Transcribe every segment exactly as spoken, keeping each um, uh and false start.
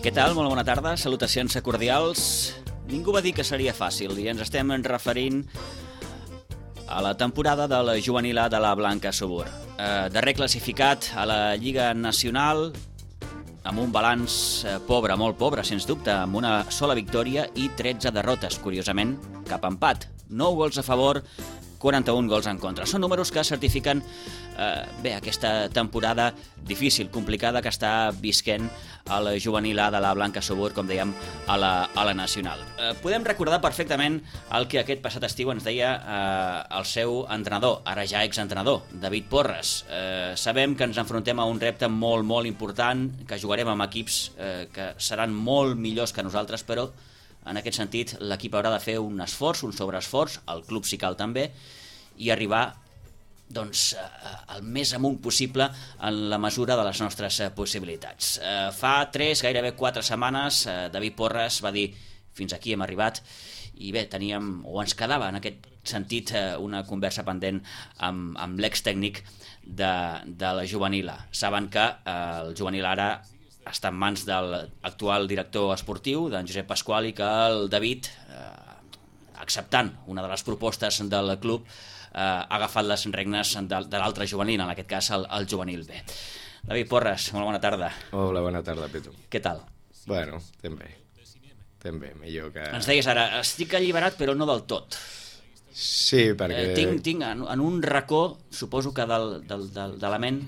Què tal? Molt bona tarda, salutacions cordials. Ningú va dir que seria fàcil i ens estem referint a la temporada de la juvenil A de la Blanca Subur. Eh, darrer classificat a la Lliga Nacional, amb un balanç pobre, molt pobre, sens dubte, amb una sola victòria i tretze derrotes, curiosament, cap empat. nou gols a favor, quaranta-un gols en contra. Són números que certifiquen eh, bé, aquesta temporada difícil, complicada, que està visquent a la juvenil A de la Blanca Subur, com dèiem, a la, a la nacional. Eh, podem recordar perfectament el que aquest passat estiu ens deia eh, el seu entrenador, ara ja exentrenador, David Porres. Eh, sabem que ens enfrontem a un repte molt, molt important, que jugarem amb equips eh, que seran molt millors que nosaltres, però en aquest sentit, l'equip haurà de fer un esforç, un sobreesforç, el club si cal també, i arribar doncs, el més amunt possible en la mesura de les nostres possibilitats. Fa tres, gairebé quatre setmanes, David Porres va dir fins aquí hem arribat, i bé, teníem, o ens quedava en aquest sentit una conversa pendent amb, amb l'extècnic de, de la juvenil A. Saben que el juvenil ara està en mans de l'actual director esportiu, d'en Josep Pasqual, i que el David, eh, acceptant una de les propostes del club, eh, ha agafat les regnes de, de l'altre juvenil, en aquest cas el, el juvenil B. David Porres, molt bona tarda. Hola, bona tarda, Petu. Què tal? Bueno, estem bé. Estem bé, millor que... Ens deies ara, estic alliberat però no del tot. Sí, perquè... Eh, tinc tinc en, en un racó, suposo que del, del, del, de la ment,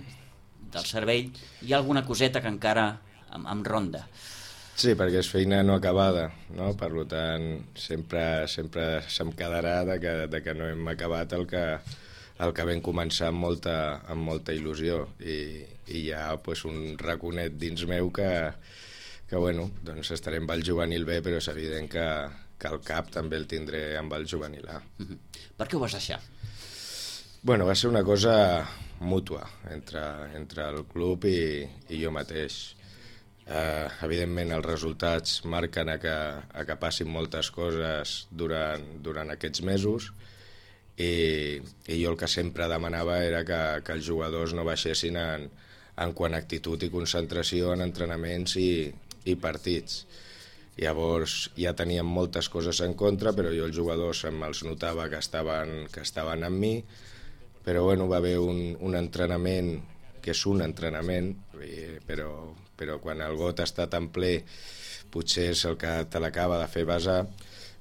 del cervell, hi ha alguna coseta que encara em, em ronda. Sí, perquè és feina no acabada, no? Per tant, sempre, sempre se'm quedarà de que, de que no hem acabat el que, el que vam començar amb molta, amb molta il·lusió, i, i hi ha pues, un raconet dins meu que, que bueno, doncs estaré amb el juvenil B, però és evident que, que el cap també el tindré amb el juvenil A. Mm-hmm. Per què ho vas deixar? Bueno, va ser una cosa mútua entre, entre el club i, i jo mateix. Eh, evidentment els resultats marquen a que, a que passin moltes coses durant, durant aquests mesos, i, i jo el que sempre demanava era que, que els jugadors no baixessin en, en quant a actitud i concentració en entrenaments i, i partits. Llavors ja teníem moltes coses en contra, però jo els jugadors me'ls notava que estaven, que estaven amb mi, però bueno, va haver un, un entrenament, que és un entrenament, però, però quan el got està tan ple, potser és el que te l'acaba de fer basar,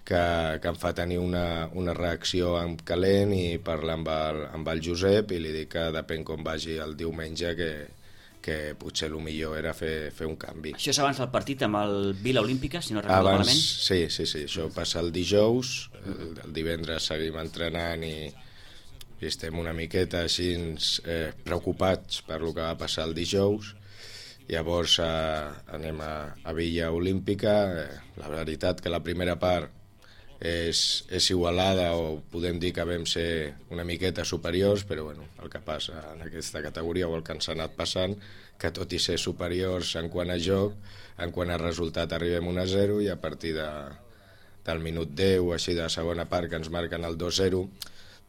que, que em fa tenir una, una reacció en calent, i parlar amb el, amb el Josep i li dic que depèn com vagi el diumenge, que, que potser el millor era fer, fer un canvi. Això és abans del partit amb el Vila Olímpica, si no recordo abans, malament? Sí, sí, sí, això passa el dijous, el, el divendres seguim entrenant i i estem una miqueta així eh, preocupats per lo que va passar el dijous. Llavors eh, anem a, a Villa Olímpica. Eh, la veritat que la primera part és, és igualada, o podem dir que vam ser una miqueta superiors, però bueno, el que passa en aquesta categoria, o el que ens ha anat passant, que tot i ser superiors en quant a joc, en quant a resultat arribem un a zero, i a partir de, del minut deu, així de segona part, que ens marquen el dos zero,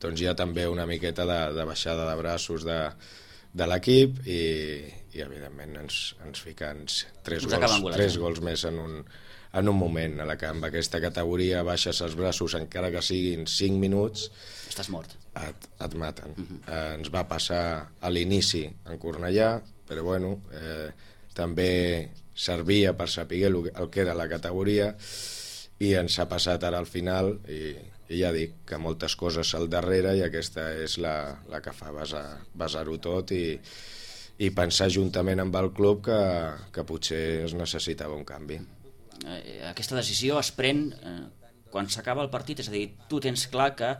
doncs hi ha també una miqueta de, de baixada de braços de, de l'equip, i, i evidentment ens, ens fiquen tres, gols, tres gols més en un, en un moment, a la que amb aquesta categoria baixes els braços encara que siguin cinc minuts, estàs mort. Et, et maten. Uh-huh. eh, ens va passar a l'inici en Cornellà, però bueno, eh, també servia per saber el, el que era la categoria, i ens ha passat ara al final, i i ja dic que moltes coses al darrere, i aquesta és la, la que fa basar, basar-ho tot, i, i pensar juntament amb el club que, que potser es necessitava un canvi. Aquesta decisió es pren eh, quan s'acaba el partit, és a dir, tu tens clar que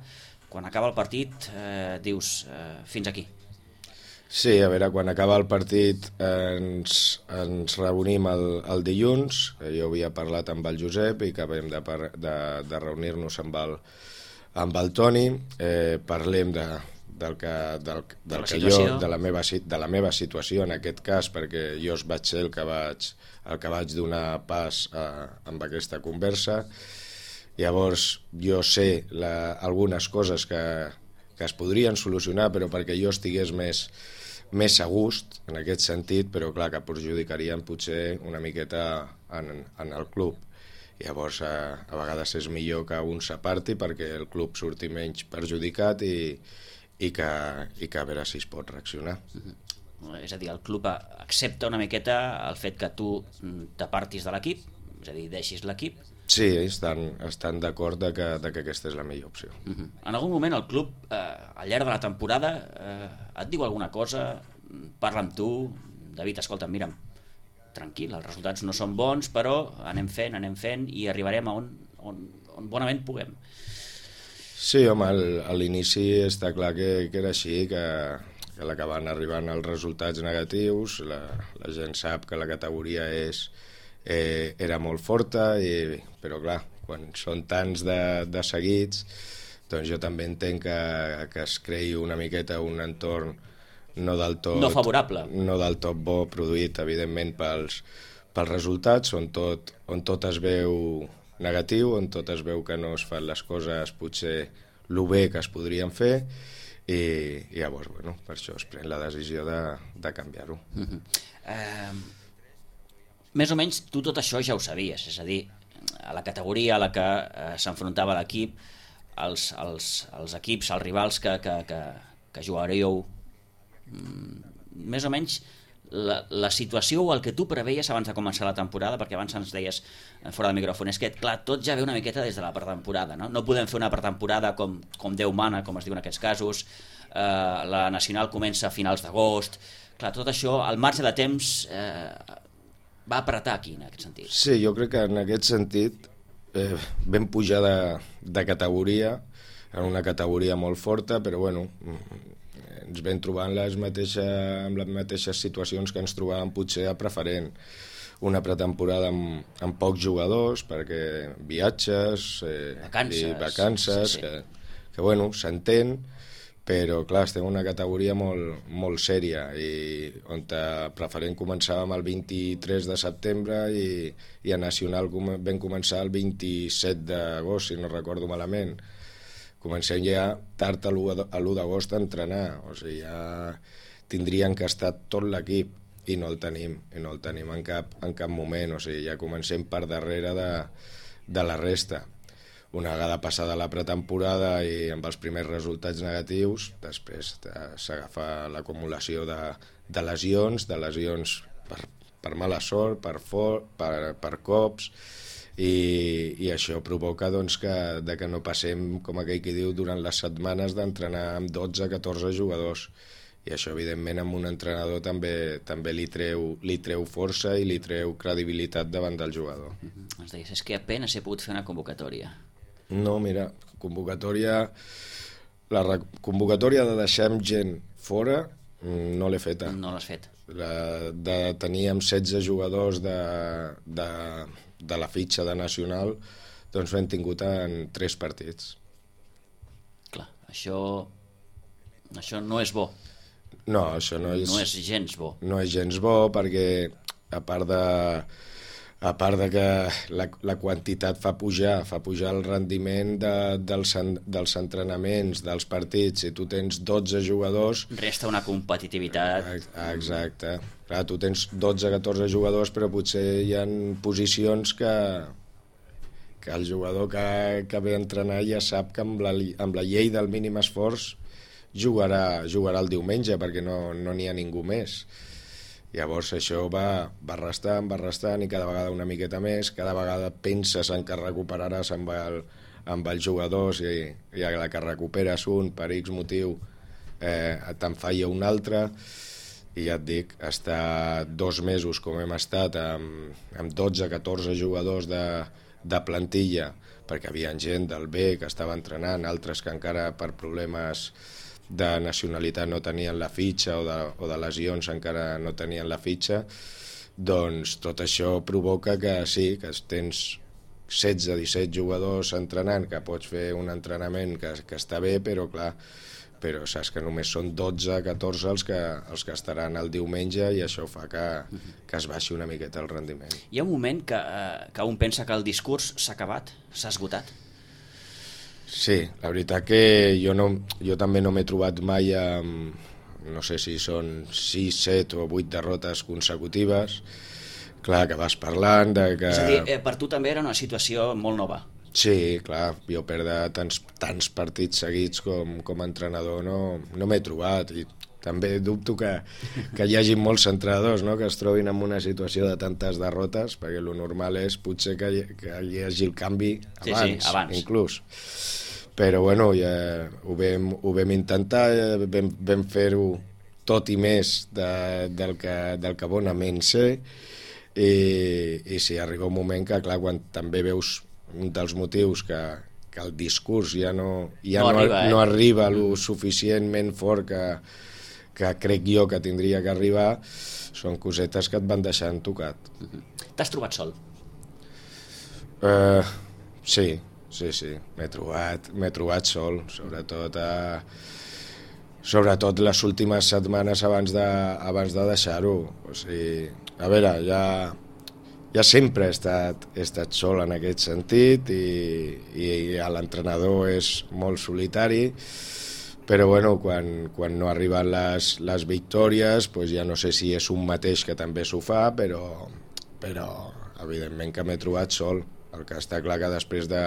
quan acaba el partit eh, dius eh, fins aquí. Sí, a veure, quan acaba el partit eh, ens, ens reunim el, el dilluns. Jo havia parlat amb el Josep i acabem de, de, de reunir-nos amb el, amb el Toni. Eh, parlem de, del que, del, del de que jo, de la, meva, de la meva situació en aquest cas, perquè jo vaig ser el que vaig, el que vaig donar pas a, amb aquesta conversa. Llavors jo sé la, algunes coses que, que es podrien solucionar, però perquè jo estigués més més a gust en aquest sentit, però clar que perjudicarien potser una miqueta en, en el club. Llavors a, a vegades és millor que un s'aparti perquè el club surti menys perjudicat i, i, que, i que a veure si es pot reaccionar. Mm-hmm. És a dir, el club accepta una miqueta el fet que tu t'apartis de l'equip, és a dir, deixis l'equip. Sí, estan, estan d'acord de que, de que aquesta és la millor opció. Mm-hmm. En algun moment el club, eh, al llarg de la temporada, eh, et diu alguna cosa, parla amb tu, David, escolta, mira'm, tranquil, els resultats no són bons, però anem fent, anem fent i arribarem a on, on, on bonament puguem. Sí, home, al, a l'inici està clar que, que era així, que, que l'acaben arribant els resultats negatius, la, la gent sap que la categoria és, eh, era molt forta, i, però clar, quan són tants de, de seguits, doncs jo també entenc que, que es creï una miqueta un entorn no del tot, no favorable, no del tot bo, produït evidentment pels, pels resultats, on tot, on tot es veu negatiu, on tot es veu que no es fan les coses potser lo bé que es podrien fer, i, i llavors, bueno, per això es pren la decisió de, de canviar-ho. Mm-hmm. eh, més o menys tu tot això ja ho sabies, és a dir, a la categoria a la que eh, s'enfrontava l'equip, els, els, els equips, els rivals que, que, que, que jugaríeu, més o menys la, la situació o el que tu preveies abans de començar la temporada, perquè abans ens deies fora de micròfon, és que clar, tot ja ve una miqueta des de la pretemporada, no? No podem fer una pretemporada com, com Déu mana, com es diu en aquests casos, eh, la nacional comença a finals d'agost, clar, tot això, al marge de temps, eh, va apretar aquí en aquest sentit. Sí, jo crec que en aquest sentit eh, vam pujar de, de categoria, en una categoria molt forta, però bueno, ens vam trobar en les mateixes, amb les mateixes situacions que ens trobàvem potser a preferent. Una pretemporada amb, amb pocs jugadors, perquè viatges, eh, vacances, i vacances, sí, sí. Que, que bueno, s'entén, però clar, estem en una categoria molt, molt sèria, i on a preferent començàvem el vint-i-tres de setembre i, i a Nacional vam començar el vint-i-set d'agost, si no recordo malament. Comencem ja tard a l'u d'agost a entrenar, o sigui, ja tindrien que estar tot l'equip i no el tenim, i no el tenim en cap, en cap moment, o sigui, ja comencem per darrere de, de la resta. Una vegada passada la pretemporada i amb els primers resultats negatius, després s'agafa l'acumulació de, de lesions, de lesions per, per mala sort, per, for, per, per cops, i, i això provoca doncs, que, de que no passem, com aquell que diu, durant les setmanes d'entrenar amb dotze a catorze jugadors. I això, evidentment, amb un entrenador també també li treu, li treu força i li treu credibilitat davant del jugador. Mm-hmm. Ens deies, és que apenas he pogut fer una convocatòria. No, mira, convocatòria... La convocatòria de deixar gent fora no l'he feta. No l'has fet. La, de tenir amb setze jugadors de, de, de la fitxa de Nacional, doncs l'hem tingut en tres partits. Clar, això, això no és bo. No, això no és... No és gens bo. No és gens bo perquè, a part de... a part de que la, la quantitat fa pujar, fa pujar el rendiment de, dels, dels entrenaments, dels partits. Si tu tens dotze jugadors... Resta una competitivitat. Exacte. Clar, tu tens dotze a catorze jugadors, però potser hi ha posicions que, que el jugador que, que ve a entrenar ja sap que amb la, amb la llei del mínim esforç jugarà, jugarà el diumenge, perquè no no n'hi ha ningú més. Llavors això va, va restant, va restant, i cada vegada una miqueta més, cada vegada penses en que recuperaràs amb, el, amb els jugadors, i, i a la que recuperes un per X motiu eh, te'n falla un altre, i ja et dic, estar dos mesos com hem estat amb, amb dotze a catorze jugadors de, de plantilla, perquè hi havia gent del B que estava entrenant, altres que encara per problemes de nacionalitat no tenien la fitxa, o de, o de lesions encara no tenien la fitxa, doncs tot això provoca que sí, que tens setze a disset jugadors entrenant, que pots fer un entrenament que, que està bé, però clar, però saps que només són dotze a catorze els que, els que estaran el diumenge, i això fa que, que es baixi una miqueta el rendiment. Hi ha un moment que, eh, que un pensa que el discurs s'ha acabat, s'ha esgotat? Sí, la veritat que jo, no, jo també no m'he trobat mai amb, no sé si són sis, set o vuit derrotes consecutives, clar, que vas parlant de que... És a dir, eh, per tu també era una situació molt nova. Sí, clar, jo perdre tants, tants partits seguits com, com a entrenador no, no m'he trobat, i també dubto que, que hi hagi molts entrenadors, no?, que es trobin en una situació de tantes derrotes, perquè el normal és potser que hi, que hi hagi el canvi abans, sí, sí, abans. inclús. Però bueno, ja ho vam, ho vam intentar, vam, vam fer-ho tot i més de, del, que, del que bonament sé, i, i sí, arriba un moment que, clar, quan també veus un dels motius que, que el discurs ja no, ja no, no, arriba, eh? no arriba lo suficientment fort que, que crec jo que tindria que arribar, són cosetes que et van deixant tocat. T'has trobat sol? Uh, sí, sí, sí, m'he trobat, m'he trobat sol, sobretot a, sobretot les últimes setmanes abans de, abans de deixar-ho. O sigui, a veure, ja, ja sempre he estat, he estat sol en aquest sentit, i, i l'entrenador és molt solitari, però bueno, quan, quan no arriben les, les victòries, pues ja no sé si és un mateix que també s'ho fa, però, però evidentment que m'he trobat sol. El que està clar que després de,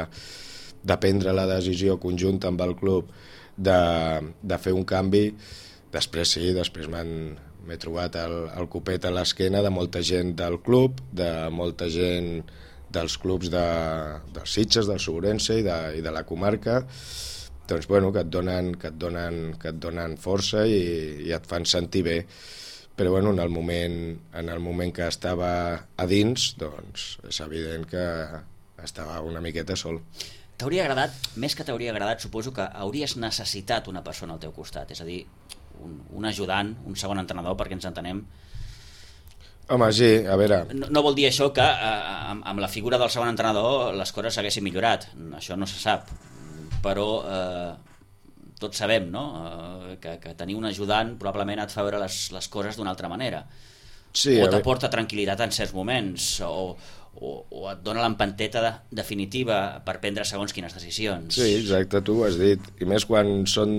de prendre la decisió conjunta amb el club de, de fer un canvi, després sí, després m'he trobat el, el copet a l'esquena de molta gent del club, de molta gent dels clubs de, dels Sitges, del Segurense i de, i de la comarca, doncs bueno, que et donen, que et donen, que et donen força i, i et fan sentir bé. Però bueno, en el moment, en el moment que estava a dins, doncs és evident que estava una miqueta sol. T'hauria agradat, més que t'hauria agradat, suposo que hauries necessitat una persona al teu costat, és a dir, un, un ajudant, un segon entrenador, perquè ens entenem. Home, sí, a veure... No, no vol dir això que eh, amb, amb la figura del segon entrenador les coses s'haguessin millorat, això no se sap, però eh, tots sabem, no?, eh, que, que tenir un ajudant probablement et fa veure les, les coses d'una altra manera. Sí, o t'aporta tranquil·litat en certs moments, o, o, o et dona l'empenteta de, definitiva per prendre segons quines decisions. Sí, exacte, tu ho has dit. I més quan són,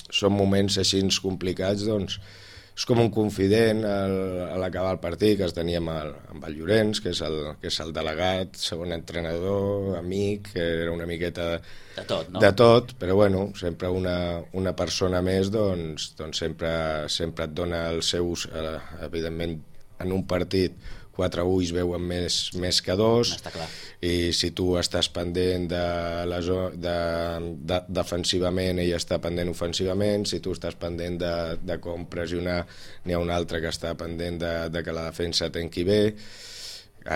són moments així complicats, doncs és com un confident al, a l'acabar el partit, que es tenia amb el, amb el Llorenç, que és el, que és el delegat, segon entrenador, amic, que era una miqueta de, de tot, no? De tot, però bueno, sempre una, una persona més, doncs, doncs sempre, sempre et dona els seus, eh, evidentment, en un partit quatre ulls veuen més, més que dos, i si tu estàs pendent de la zo- de, de, defensivament, ell està pendent ofensivament, si tu estàs pendent de, de com pressionar, n'hi ha un altre que està pendent de, de que la defensa tenqui bé.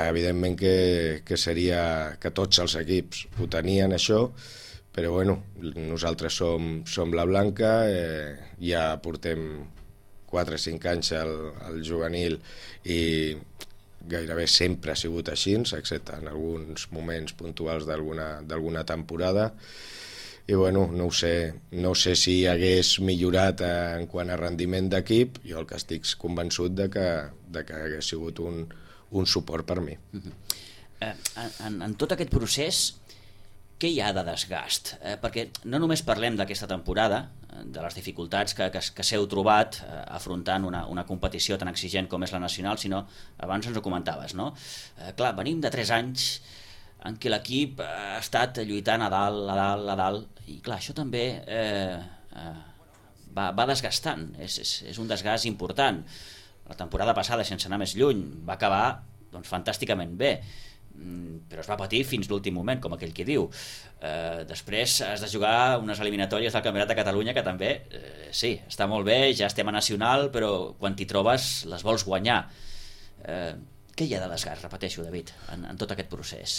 Evidentment que, que seria que tots els equips ho tenien això, però bueno, nosaltres som, som la Blanca, eh, ja portem quatre o cinc anys al, al juvenil i gairebé sempre ha sigut així, excepte en alguns moments puntuals d'alguna d'alguna temporada, i bueno, no ho sé, no sé si hagués millorat en quant a rendiment d'equip. Jo el que estic convençut de que, de que hagués sigut un, un suport per mi. Uh-huh. eh, en, en tot aquest procés, què hi ha de desgast? Eh, perquè no només parlem d'aquesta temporada, de les dificultats que, que, que s'heu trobat eh, afrontant una, una competició tan exigent com és la nacional, sinó, abans ens ho comentaves, no? Eh, clar, venim de tres anys en què l'equip ha estat lluitant a dalt, a dalt, a dalt, i clar, això també eh, eh, va, va desgastant, és, és, és un desgast important. La temporada passada, sense anar més lluny, va acabar doncs, fantàsticament bé, però es va patir fins l'últim moment, com aquell que diu. Eh, després has de jugar unes eliminatòries del Campionat de Catalunya que també, eh, sí, està molt bé, ja estem a nacional, però quan t'hi trobes les vols guanyar. Eh, què hi ha de desgast, repeteixo, David, en, en tot aquest procés?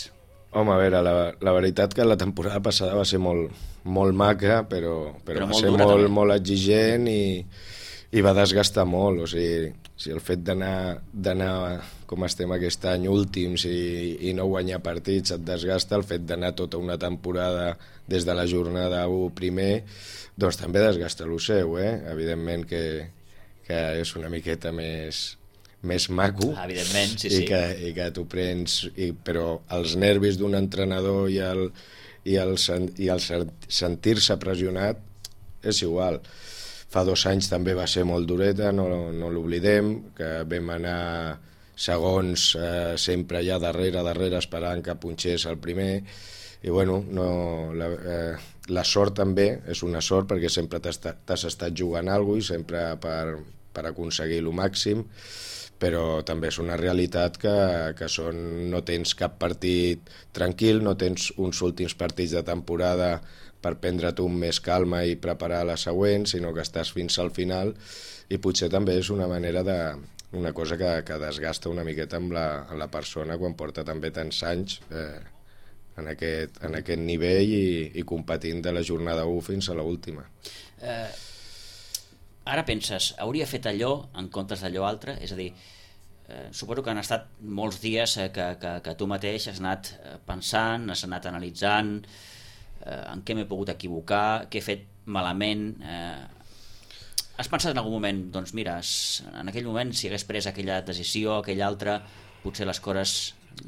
Home, a veure, la, la veritat que la temporada passada va ser molt, molt maca, però, però, però va ser molt, molt exigent i, i va desgastar molt. O sigui, si el fet d'anar d'anar com estem aquest any últims i, i no guanyar partits et desgasta, el fet d'anar tota una temporada des de la jornada u primer, doncs també desgasta el seu, eh? Evidentment que, que és una miqueta més, més maco, evidentment, sí, i, sí. Que, i que t'ho prens, i, però els nervis d'un entrenador i el, i el, i el sentir-se pressionat és igual. fa dos anys també va ser molt dureta, no, no l'oblidem, que vam anar segons eh, sempre allà darrere, darrere, esperant que punxés el primer, i bueno, no, la, eh, la sort també és una sort perquè sempre t'has estat jugant alguna cosa i sempre per, per aconseguir el màxim, però també és una realitat que, que són, no tens cap partit tranquil, no tens uns últims partits de temporada per prendre't un més calma i preparar la següent, sinó que estàs fins al final, i potser també és una manera de, una cosa que, que desgasta una miqueta amb la, amb la persona quan porta també tants anys eh, en, aquest, en aquest nivell i, i competint de la jornada u fins a l'última. Eh, ara penses, hauria fet allò en comptes d'allò altre? És a dir, eh, suposo que han estat molts dies eh, que, que, que tu mateix has anat pensant, has anat analitzant eh, en què m'he pogut equivocar, què he fet malament. Eh, has pensat en algun moment, doncs mira, en aquell moment si hagués pres aquella decisió, aquella altra, potser les coses...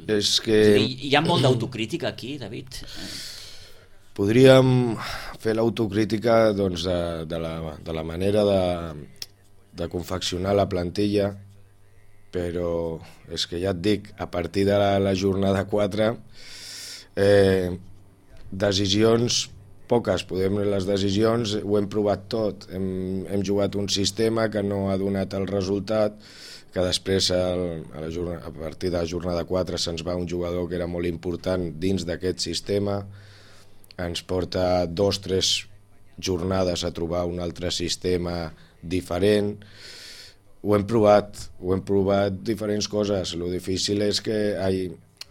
És que... És dir, hi ha molt d'autocrítica aquí, David? Podríem fer l'autocrítica doncs, de, de, la, de la manera de, de confeccionar la plantilla, però és que ja et dic, a partir de la, la jornada quatre, eh, decisions poques, podem les decisions, ho hem provat tot, hem, hem jugat un sistema que no ha donat el resultat, que després el, a, la jornada, a partir de la jornada quatre se'ns va un jugador que era molt important dins d'aquest sistema, ens porta dos o tres jornades a trobar un altre sistema diferent. Ho hem provat, ho hem provat diferents coses. Lo difícil és que, ai,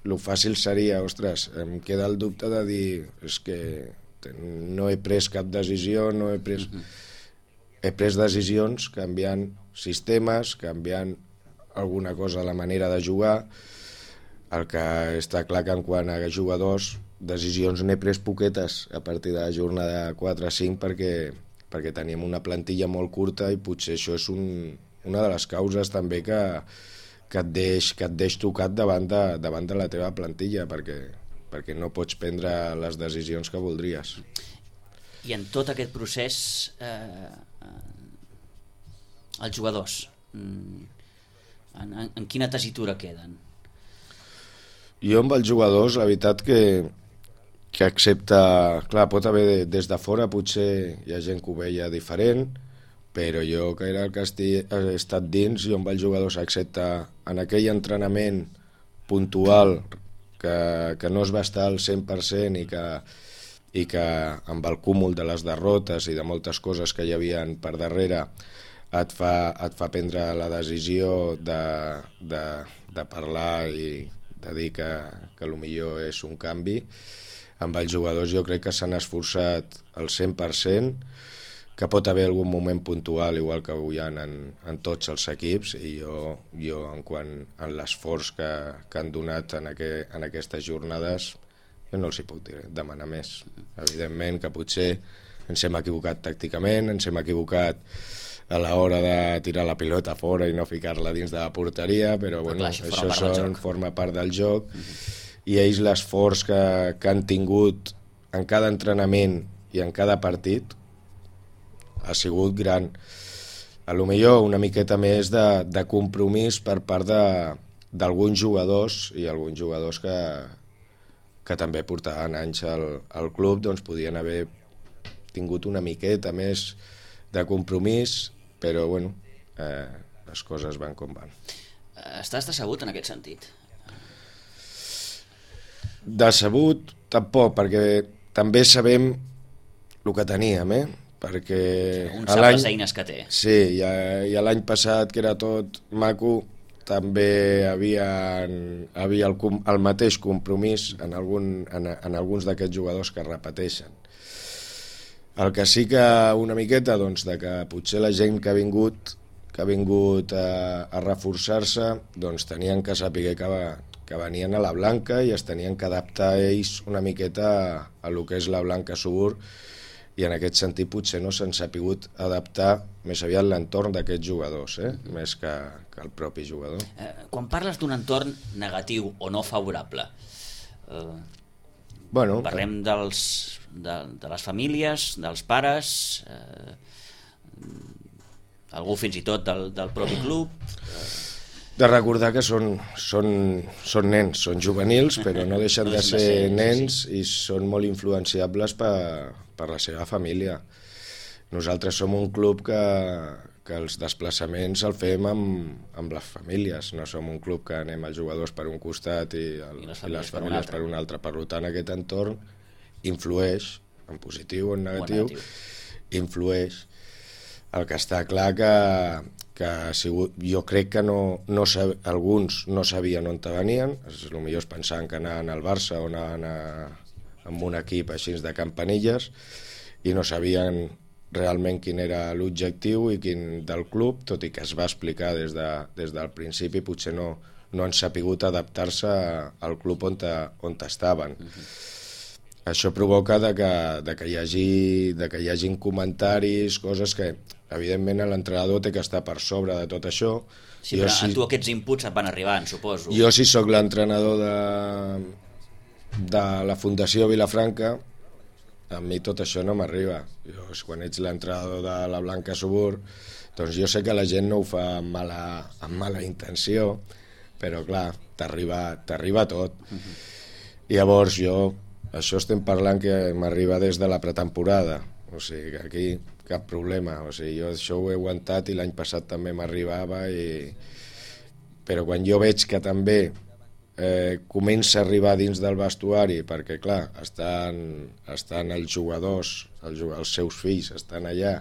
lo fàcil seria, ostres, em queda el dubte de dir, és que no he pres cap decisió, no he pres... He pres decisions canviant sistemes, canviant alguna cosa a la manera de jugar. El que està clar que en quant a jugadors, decisions n'he pres poquetes a partir de la jornada quatre cinc perquè, perquè teníem una plantilla molt curta i potser això és un, una de les causes també que, que, et deix, que et deix tocat davant de, davant de la teva plantilla, perquè perquè no pots prendre les decisions que voldries. I en tot aquest procés, eh, els jugadors, en, en, en quina tessitura queden? Jo amb els jugadors, la veritat que, que accepta... Clar, pot haver des de fora, potser hi ha gent que ho veia diferent, però jo, que era el que he estat dins, jo amb els jugadors accepta en aquell entrenament puntual que, que no es va estar al cent per cent i que, i que amb el cúmul de les derrotes i de moltes coses que hi havia per darrere et fa, et fa prendre la decisió de, de, de parlar i de dir que, que potser és un canvi. Amb els jugadors jo crec que s'han esforçat al cent per cent, que pot haver algun moment puntual, igual que ho hi ha en, en tots els equips, i jo, jo en quant a l'esforç que, que han donat en, aqu en aquestes jornades, jo no els hi puc dir, demanar més. Evidentment que potser ens hem equivocat tàcticament, ens hem equivocat a l'hora de tirar la pilota fora i no ficar-la dins de la porteria, però, però bueno, clar, això, això són, forma part del joc, uh-huh. I ells l'esforç que, que han tingut en cada entrenament i en cada partit ha sigut gran. A lo millor una miqueta més de, de compromís per part d'alguns jugadors, i alguns jugadors que, que també portaven anys al, al club, doncs podien haver tingut una miqueta més de compromís, però bueno, eh, les coses van com van. Estàs decebut en aquest sentit? Decebut tampoc, perquè també sabem el que teníem, eh? Perquè un sap les eines que té. Sí, i, i l'any passat, que era tot maco, també havia, havia el, el mateix compromís en, algun, en, en alguns d'aquests jugadors que repeteixen. El que sí que una miqueta, doncs, de que potser la gent que ha vingut, que ha vingut a, a reforçar-se, doncs tenien que saber que, va, que venien a la Blanca i es tenien que adaptar ells una miqueta a, a lo que és la Blanca Subur, i en aquest sentit potser no s'han sapigut adaptar més aviat l'entorn d'aquests jugadors, eh? més que, que el propi jugador. Eh, quan parles d'un entorn negatiu o no favorable, eh, bueno, parlem dels, de, de les famílies, dels pares, eh, Algú fins i tot del, del propi club? De recordar que són, són, són nens, són juvenils, però no deixen no de ser, de ser nens, sí, sí. I són molt influenciables per, per la seva família. Nosaltres som un club que, que els desplaçaments el fem amb, amb les famílies, no som un club que anem els jugadors per un costat i, el, I les famílies, i les famílies per un altre. Per tant, aquest entorn influeix, en positiu o en negatiu, o negatiu. influeix. El que està clar que, que ha sigut, jo crec que no, no sab, alguns no sabien on venien, potser es pensaven que anaven al Barça o anaven a, amb un equip així de campanilles i no sabien realment quin era l'objectiu i quin del club, tot i que es va explicar des, de, des del principi, potser no, no han sapigut adaptar-se al club on, te, on estaven. Uh-huh. Això provoca de que, de que, hi hagi, de que hi hagin comentaris, coses que, evidentment, l'entrenador té que estar per sobre de tot això. Sí, jo, però si, a tu aquests inputs et van arribant, suposo. Jo, si sóc l'entrenador de, de la Fundació Vilafranca, a mi tot això no m'arriba. Jo, quan ets l'entrenador de la Blanca Subur, doncs jo sé que la gent no ho fa amb mala, amb mala intenció, però clar, t'arriba t'arriba tot. Uh-huh. I llavors jo, això estem parlant que m'arriba des de la pretemporada, o sigui que aquí cap problema, o sigui, jo això ho he aguantat i l'any passat també m'arribava, i... però quan jo veig que també eh, comença a arribar dins del vestuari, perquè clar, estan, estan els jugadors, els, els seus fills estan allà,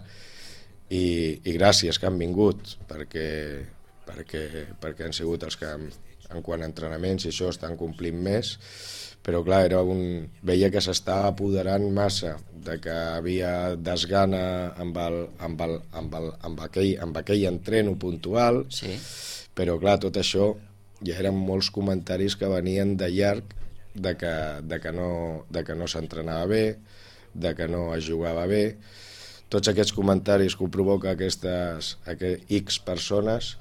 i, i gràcies que han vingut, perquè, perquè, perquè han sigut els que en quant a entrenaments i això estan complint més, però clar, era un... veia que s'estava apoderant massa, de que havia desgana amb, el, amb, el, amb, el, amb, aquell, amb aquell entreno puntual, sí. Però clar, tot això ja eren molts comentaris que venien de llarg de que, de que no, de que no s'entrenava bé, de que no es jugava bé. Tots aquests comentaris que ho provoca aquestes aquest X persones,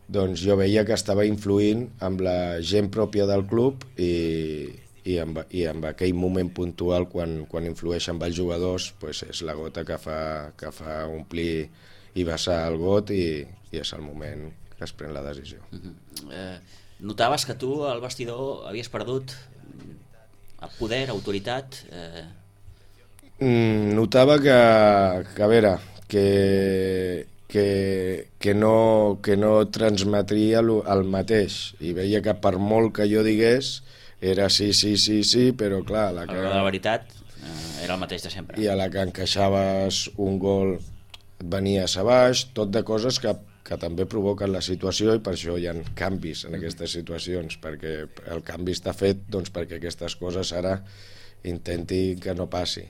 doncs jo veia que estava influint amb la gent pròpia del club i, i, amb, i amb aquell moment puntual quan, quan influeix amb els jugadors, pues és la gota que fa, que fa omplir i vessar el got, i, i és el moment que es pren la decisió. Uh-huh. eh, notaves que tu al vestidor havies perdut poder, autoritat? Eh... Mm, notava que, que a veure, que Que, que, no, que no transmetria el mateix, i veia que per molt que jo digués era sí, sí, sí, sí, però clar, la que... la veritat eh, era el mateix de sempre. I a la que encaixaves un gol et venies a baix, tot de coses que, que també provoquen la situació, i per això hi ha canvis en aquestes situacions, perquè el canvi està fet doncs, perquè aquestes coses ara intenti que no passi.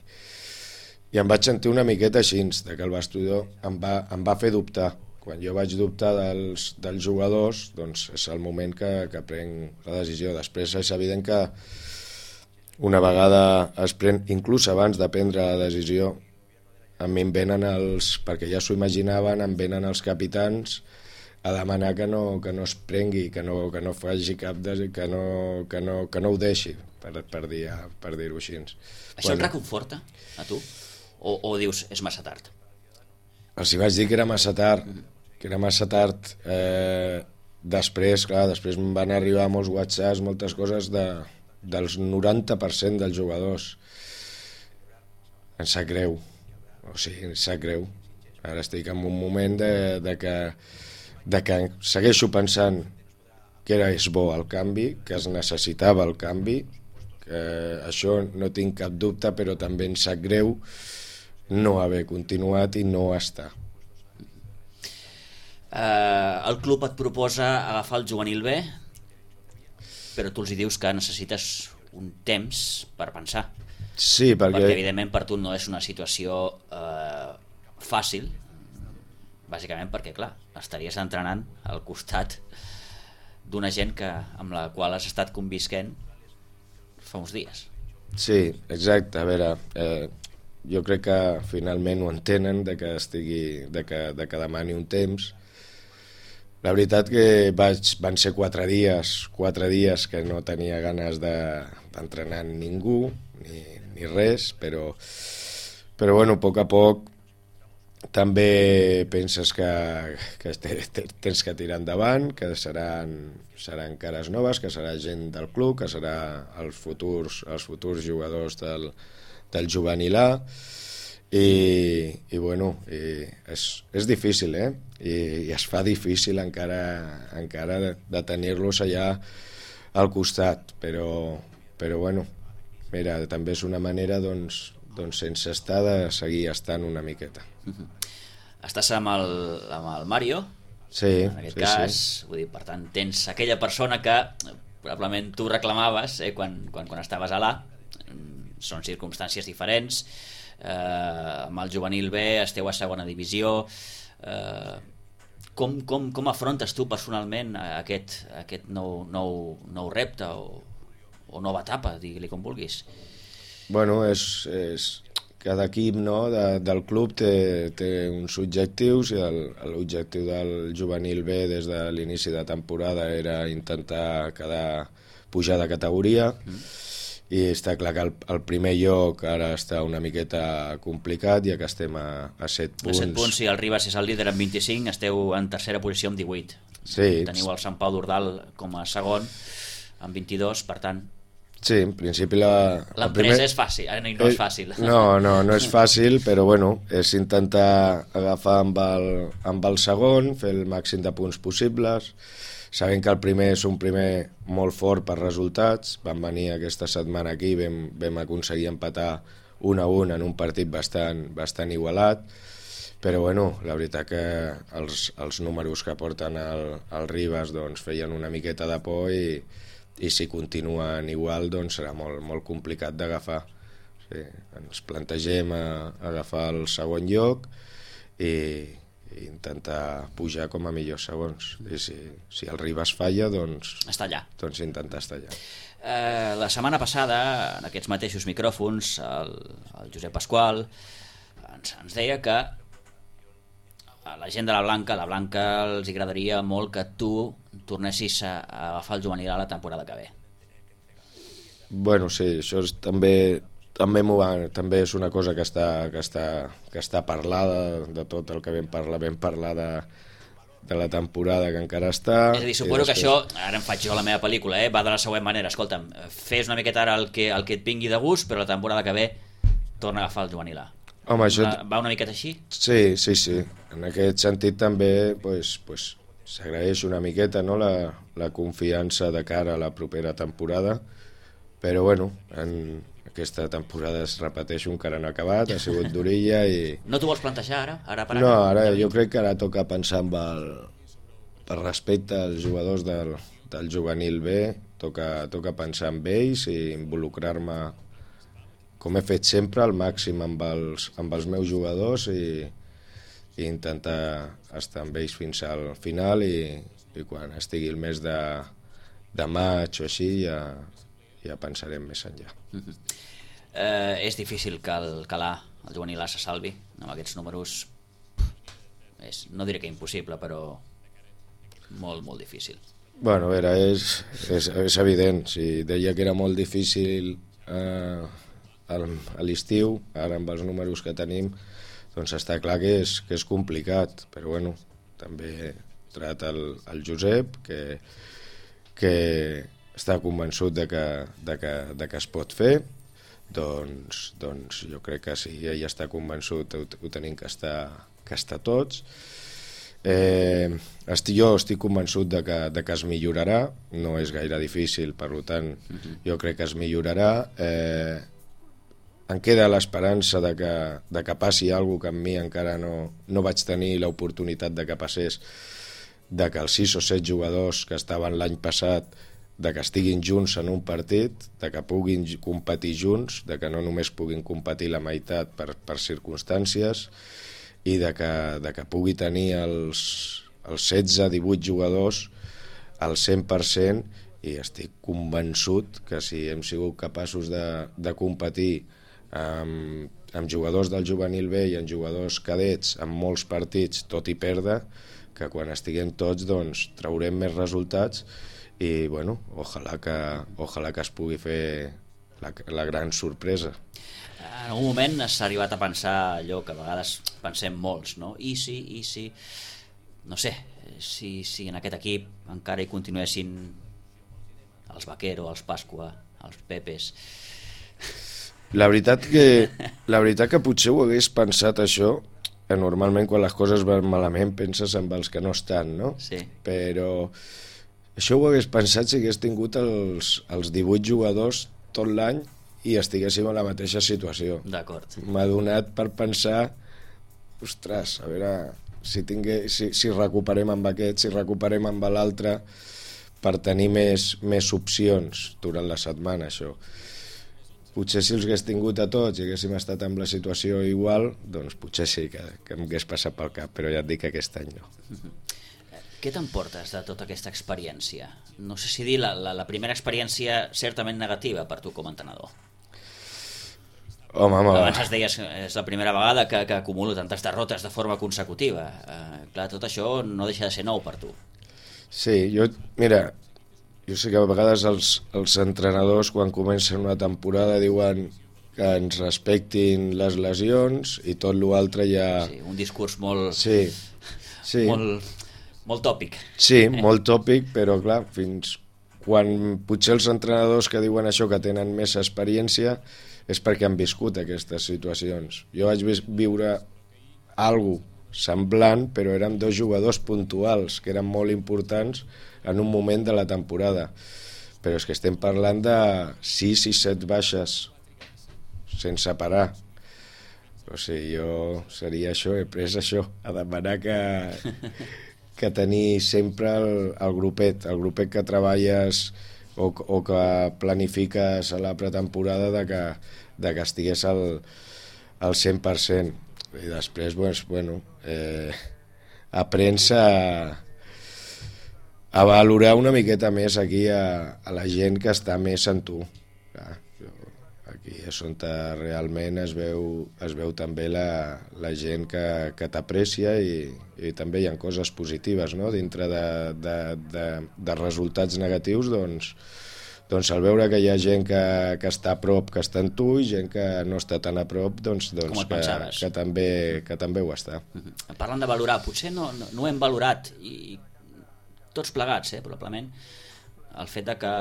I em vaig sentir una miqueta així, de que el vestidor em va, em va fer dubtar. Quan jo vaig dubtar dels, dels jugadors, doncs és el moment que, que prenc la decisió. Després és evident que una vegada es pren, inclús abans de prendre la decisió, a mi em venen els, perquè ja s'ho imaginaven, em venen els capitans a demanar que no, que no es prengui, que no, que no faci cap de, que, no, que, no, que no ho deixi, per, per dir-ho per dir així. Això Quan... et reconforta, a tu? O, o dius, és massa tard? Els hi vaig dir que era massa tard, que era massa tard. Eh, després, clar, després em van arribar molts whatsapps, moltes coses de, dels noranta per cent dels jugadors. Em sap greu, o sigui, em sap greu. Ara estic en un moment de, de, que, de que segueixo pensant que era és bo el canvi, que es necessitava el canvi, que això no tinc cap dubte, però també em sap greu no haver continuat i no estar. Eh, el club et proposa agafar el juvenil B, però tu els hi dius que necessites un temps per pensar. Sí, perquè... perquè evidentment per tu no és una situació eh, fàcil, bàsicament perquè, clar, estaries entrenant al costat d'una gent que, amb la qual has estat convisquent fa uns dies. Sí, exacte. A veure, eh, jo crec que finalment ho entenen, de que estigui, de que, de que demani un temps. La veritat que vaig, van ser quatre dies, quatre dies que no tenia ganes de, d'entrenar ningú, ni, ni res, però, però bueno, a poc a poc també penses que, que tens que tirar endavant, que seran, seran cares noves, que serà gent del club, que serà els futurs, els futurs jugadors del, del juvenil A, i, i bueno, i és, és difícil, eh? I, i es fa difícil encara, encara de, de tenir-los allà al costat, però, però bueno, mira, també és una manera, doncs, doncs sense estar, de seguir estant una miqueta. Uh-huh. Estàs amb el, amb el Mario, sí, en aquest sí, cas, sí. Vull dir, per tant, tens aquella persona que probablement tu reclamaves eh, quan, quan, quan estaves a l'A. Són circumstàncies diferents, eh, amb el juvenil B esteu a segona divisió. Eh, com, com, com afrontes tu personalment aquest, aquest nou, nou, nou repte o, o nova etapa, digue-li com vulguis? Bueno, és, és cada equip, no, de, del club té, té uns objectius, i l'objectiu del juvenil B des de l'inici de temporada era intentar quedar pujar de categoria, mm. i està clar que el, el primer lloc ara està una miqueta complicat, ja que estem a, a set punts. A set punts, si el Ribas és el líder amb vint-i-cinc, esteu en tercera posició amb divuit. Sí. Teniu el Sant Pau d'Ordal com a segon amb vint-i-dos, per tant... Sí, en principi la... L'empresa primer... és fàcil, eh? no és fàcil. No, no, no és fàcil, però bueno, és intentar agafar amb el, amb el segon, fer el màxim de punts possibles, sabent que el primer és un primer molt fort per resultats. Vam venir aquesta setmana aquí, vam, vam aconseguir empatar un a un en un partit bastant, bastant igualat, però bueno, la veritat que els, els números que porten el, el Ribas doncs, feien una miqueta de por, i i si continuen igual doncs serà molt, molt complicat d'agafar. Sí, ens plantegem a, a agafar el segon lloc i, i intentar pujar com a millors segons, i si, si el Ribas falla doncs, està allà. doncs intentar estar allà. Eh, la setmana passada, en aquests mateixos micròfons, el, el Josep Pasqual ens, ens deia que a la gent de la Blanca, la Blanca els agradaria molt que tu tornessis a, a agafar el juvenil a la temporada que ve. Bueno, sí, això és, també també, va, també és una cosa que està, que està, que està parlada, de tot el que vam parlar, vam parlar de, de la temporada que encara està. És a dir, suposo després... que això, ara em faig jo la meva pel·lícula, eh, va de la següent manera: escolta'm, fes una miqueta ara el que, el que et vingui de gust, però la temporada que ve torna a agafar el juvenil A. Home, això... Va una miqueta així? Sí, sí, sí. En aquest sentit també pues, pues, s'agraeix una miqueta, no, la, la confiança de cara a la propera temporada, però bueno, en aquesta temporada es repeteixo, encara no ha acabat, ha sigut d'orilla i... No t'ho vols plantejar ara? ara, per ara? No, ara jo crec que ara toca pensar amb el... per respecte als jugadors del, del juvenil B, toca, toca pensar en ells i involucrar-me, com he fet sempre, al màxim amb els, amb els meus jugadors, i, i intentar estar amb ells fins al final, i, i quan estigui el mes de, de maig o així ja, ja pensarem més enllà. Uh-huh. eh, és difícil que el, que l'A, el juvenil A, se salvi amb aquests números. És, no diré que impossible, però molt, molt difícil. Bueno, a veure, és, és, és evident. Si deia que era molt difícil eh, a l'estiu, ara amb els números que tenim, doncs està clar que és, que és complicat, però bueno, també trata el, el Josep, que, que està convençut de que, de que, de que es pot fer, doncs, doncs jo crec que si ell està convençut ho, ho tenim que estar, que estar tots. Eh, estic, jo estic convençut de que, de que es millorarà, no és gaire difícil, per tant jo crec que es millorarà. eh, em queda l'esperança de, que, de que passi alguna cosa que amb mi encara no, no vaig tenir l'oportunitat de que passés, de que els sis o set jugadors que estaven l'any passat, de que estiguin junts en un partit, de que puguin competir junts, de que no només puguin competir la meitat per, per circumstàncies, i de que, de que pugui tenir els, els setze divuit jugadors al cent per cent, i estic convençut que si hem sigut capaços de, de competir amb, amb jugadors del juvenil B i amb jugadors cadets en molts partits, tot i perdre, que quan estiguem tots doncs traurem més resultats, i bueno, ojalà que, ojalà que es pugui fer la, la gran sorpresa. En algun moment s'ha arribat a pensar allò que a vegades pensem molts, no? I si, i si... No sé, si, si en aquest equip encara hi continuessin els Vaquero, els Pasqua, els Pepes... La veritat que, la veritat que potser ho hagués pensat això, que normalment quan les coses van malament penses en els que no estan, no? Sí. Però això ho hagués pensat si hagués tingut els, els divuit jugadors tot l'any i estiguéssim en la mateixa situació. D'acord. M'ha donat per pensar, ostres, a veure si, tingué, si, si recuperem amb aquest, si recuperem amb l'altre, per tenir més, més opcions durant la setmana, això. Potser si els hagués tingut a tots i haguéssim estat en la situació igual, doncs potser sí que, que em hagués passat pel cap, però ja et dic que aquest any no. Què t'emportes de tota aquesta experiència? No sé si dir la, la, la primera experiència certament negativa per tu com a entrenador. Home, home, Abans es deies que és la primera vegada que, que acumulo tantes derrotes de forma consecutiva. Eh, clar, tot això no deixa de ser nou per tu. Sí, jo, mira, jo sé que a vegades els, els entrenadors quan comencen una temporada diuen que ens respectin les lesions i tot l'altre ja... Sí, un discurs molt, Sí, sí. molt, molt tòpic. Sí, molt tòpic, però clar, fins quan potser els entrenadors que diuen això, que tenen més experiència, és perquè han viscut aquestes situacions. Jo vaig viure algo semblant, però eren dos jugadors puntuals, que eren molt importants en un moment de la temporada. Però és que estem parlant de sis i set baixes sense parar. O sigui, jo seria això, he pres això, a demanar que, que tenir sempre el, el grupet, el grupet que treballes o, o que planifiques a la pretemporada de que, de que estigués al, al cent per cent. I després, doncs, bueno, eh, aprens a, a valorar una miqueta més aquí a, a la gent que està més en tu. Clar, jo, aquí és on realment es veu, es veu també la, la gent que, que t'aprecia i, i també hi ha coses positives, no? Dintre de, de, de, de resultats negatius, doncs, doncs al veure que hi ha gent que, que està a prop, que està en tu, i gent que no està tan a prop, doncs, doncs que, que, també, que també ho està. Uh-huh. Parlant de valorar, potser no, no, no ho hem valorat, i tots plegats, eh, probablement, el fet de que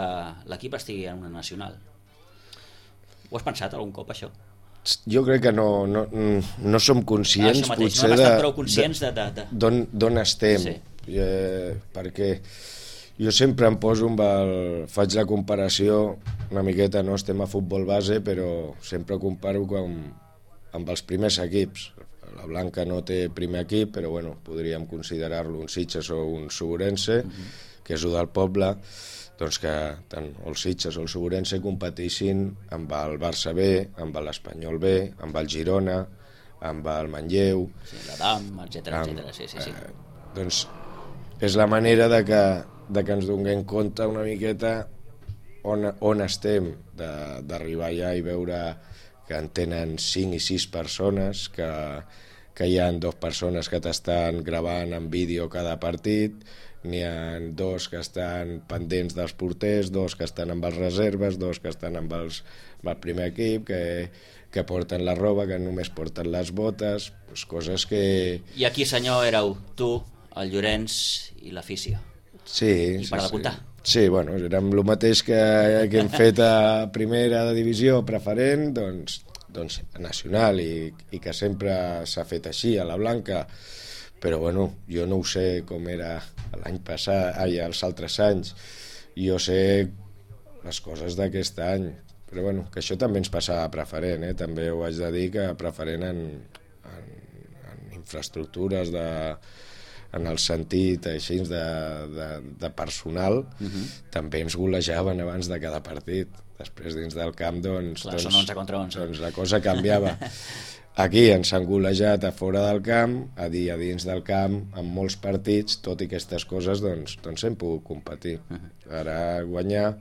l'equip estigui en una nacional. Ho has pensat algun cop, això? Jo crec que no, no, no som conscients, ah, mateix, potser, no hem estat prou conscients de... de, de... d'on estem, sí. eh, perquè jo sempre em poso amb el... faig la comparació una miqueta, no estem a futbol base, però sempre comparo amb, amb els primers equips. La Blanca no té primer equip, però bueno, podríem considerar-lo un Sitges o un Suburense, uh-huh. que és el del poble, doncs que tant el Sitges o el Suburense competissin amb el Barça B, amb l'Espanyol B, amb el Girona, amb el Manlleu... Sí, l'Adam, etcètera, etcètera, sí, sí, sí. Eh, doncs és la manera de que, de que ens donem compte una miqueta on, on estem, d'arribar allà i veure que en tenen cinc i sis persones, que, que hi ha dues persones que t'estan gravant en vídeo cada partit, n'hi ha dos que estan pendents dels porters, dos que estan amb les reserves, dos que estan amb, els, amb el primer equip, que, que porten la roba, que només porten les botes, doncs coses que... I aquí, senyor, éreu tu, el Llorenç i l'afició. Sí, I per sí, d'apuntar. Sí. Sí, bueno, érem el mateix que, que hem fet a primera divisió preferent, doncs, doncs nacional, i, i que sempre s'ha fet així, a la Blanca. Però bueno, jo no ho sé com era l'any passat, ai, els altres anys. Jo sé les coses d'aquest any. Però bueno, que això també ens passava a preferent, eh? També ho haig de dir que a preferent en, en, en infraestructures de... en el sentit així de, de, de personal, uh-huh. també ens golejaven abans de cada partit. Després dins del camp, doncs, clar, doncs, són onze contra onze. doncs la cosa canviava. Aquí ens han golejat a fora del camp, a dir a dins del camp, en molts partits, tot i aquestes coses, doncs, doncs hem pogut competir. Uh-huh. Ara guanyar,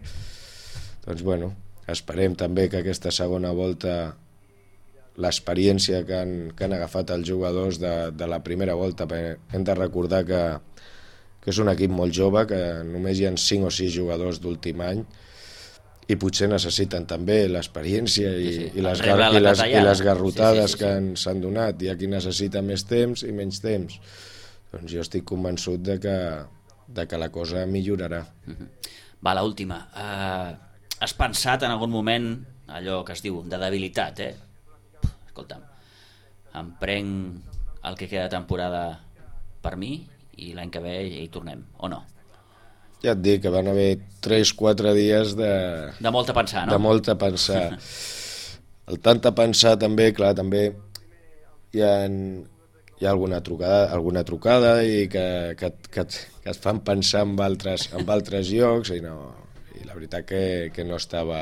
doncs bueno, esperem també que aquesta segona volta l'experiència que han, que han agafat els jugadors de, de la primera volta, perquè hem de recordar que, que és un equip molt jove, que només hi ha cinc o sis jugadors d'últim any, i potser necessiten també l'experiència i, sí, sí. i, les, Rebre la i, les, clatellada. i les garrotades Sí, sí, sí, sí. que s'han donat. Hi ha qui necessita més temps i menys temps. Doncs jo estic convençut de que, de que la cosa millorarà. Uh-huh. Va, l'última. Uh, has pensat en algun moment allò que es diu de debilitat, eh? Escolta'm, em prenc el que queda de temporada per mi i l'any que ve hi tornem, o no? Ja et dic que van haver tres quatre dies de... De molta pensar, no? De molta pensar. El tant de pensar també, clar, també hi ha, hi ha alguna trucada, alguna trucada i que, que, que, que et fan pensar en altres, en altres llocs i, no, i la veritat que, que no estava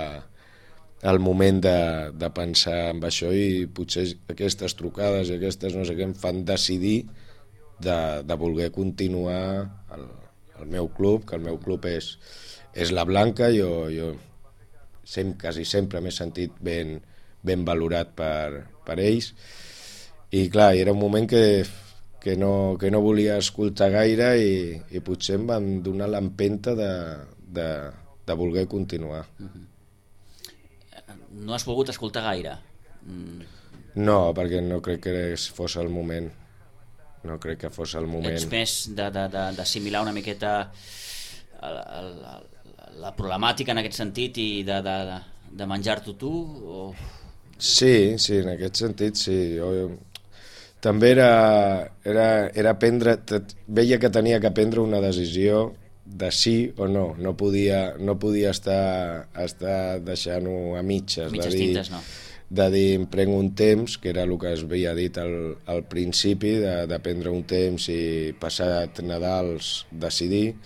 al moment de, de pensar en això i potser aquestes trucades i aquestes no sé què em fan decidir de, de voler continuar el, el meu club, que el meu club és, és la Blanca. Jo, jo sem, quasi sempre m'he sentit ben, ben valorat per, per ells i clar, era un moment que, que, no, que no volia escoltar gaire i, i potser em van donar l'empenta de, de, de voler continuar. No has volgut escoltar gaire? Mm. No, perquè no crec que fos el moment. No crec que fos el moment. Ets més d'assimilar una miqueta el, el, el, la problemàtica en aquest sentit i de, de, de menjar-t'ho tu? O... Sí, sí, en aquest sentit sí. Jo, també era, era, era prendre, veia que tenia que prendre una decisió de sí o no. No podia, no podia estar, estar deixant-ho a mitges. Mitges de dir, tintes, no. De dir, em prenc un temps, que era el que es havia dit al, al principi, de, de prendre un temps i passat Nadals decidir,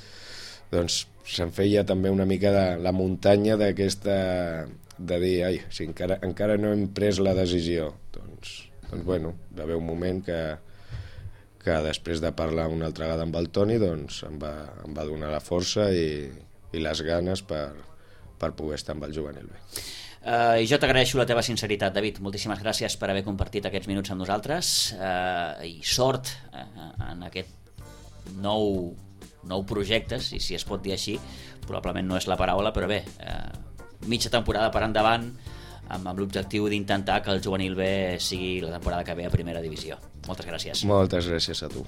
doncs se'n feia també una mica de la muntanya d'aquesta, de dir, ai, si encara, encara no hem pres la decisió, doncs, doncs bueno, va haver un moment que, que després de parlar una altra vegada amb el Toni, doncs em va, em va donar la força i, i les ganes per, per poder estar amb el juvenil B. Uh, I jo t'agraeixo la teva sinceritat, David. Moltíssimes gràcies per haver compartit aquests minuts amb nosaltres uh, i sort uh, en aquest nou, nou projecte, si, si es pot dir així. Probablement no és la paraula, però bé, uh, mitja temporada per endavant amb, amb l'objectiu d'intentar que el juvenil B sigui la temporada que ve a primera divisió. Moltes gràcies. Moltes gràcies a tu.